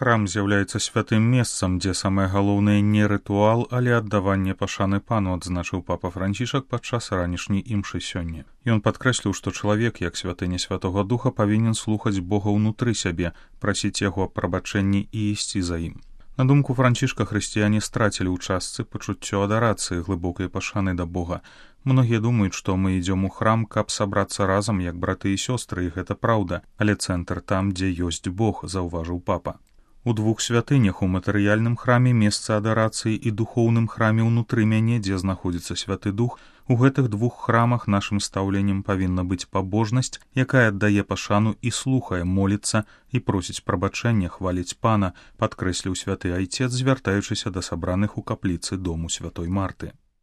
Храм з'яўляецца святым месцам, дзе самае галоўнае не рытуал, але аддаванне пашаны пану, адзначыў папа Францішак падчас ранішняй імшы сёння. Ён падкрэсліў, што чалавек, як святыня Святога Духа, павінен слухаць Бога ўнутры сябе, прасіць яго аб прабачэнні і ісці за ім. На думку Францішка, хрысціяне страцілі ў частцы пачуццё адарацыі, глыбокай пашаны да Бога. Многія думаюць, што мы ідзём у храм, каб сабрацца разам, як браты і сёстры, і гэта праўда, але цэнтр там, дзе ёсць Бог, заўважыў папа. У двух святынях, у матэрыяльным храме месца адарацыі і духоўным храме ўнутры мяне, дзе знаходзіцца Святы Дух, у гэтых двух храмах нашым стаўленнем павінна быць пабожнасць, якая аддае пашану і слухае, моліцца і просіць прабачэння, хваліць пана, падкрэсліў святы айцец, звяртаючыся да сабраных у капліцы дому Святой Марты.